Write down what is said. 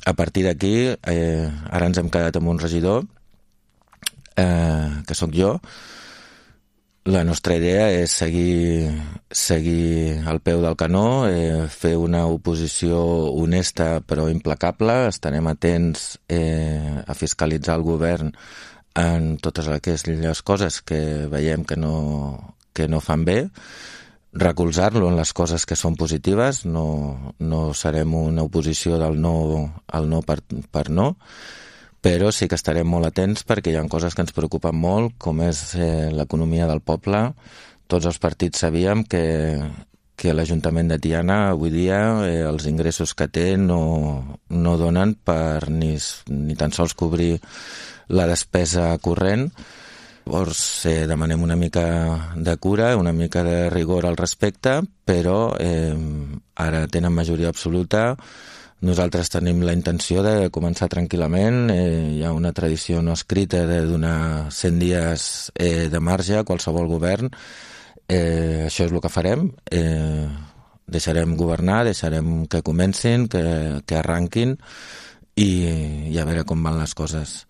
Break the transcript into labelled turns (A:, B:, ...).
A: A partir d'aquí, ara ens hem quedat amb un regidor, que sóc jo. La nostra idea és seguir al peu del canó, fer una oposició honesta però implacable. Estarem atents a fiscalitzar el govern en totes aquelles coses que veiem que no fan bé, recolzar-lo en les coses que són positives. No serem una oposició del no al no per no, però sí que estarem molt atents perquè hi ha coses que ens preocupen molt, com és l'economia del poble. Tots els partits sabíem que l'Ajuntament de Tiana avui dia els ingressos que té no donen per ni tan sols cobrir la despesa corrent. Llavors demanem una mica de cura, una mica de rigor al respecte, però ara tenen majoria absoluta. Nosaltres tenim la intenció de començar tranquil·lament. Hi ha una tradició no escrita de donar 100 dies de marge a qualsevol govern. Això és el que farem. Deixarem governar, deixarem que comencin, que arranquin i a veure com van les coses.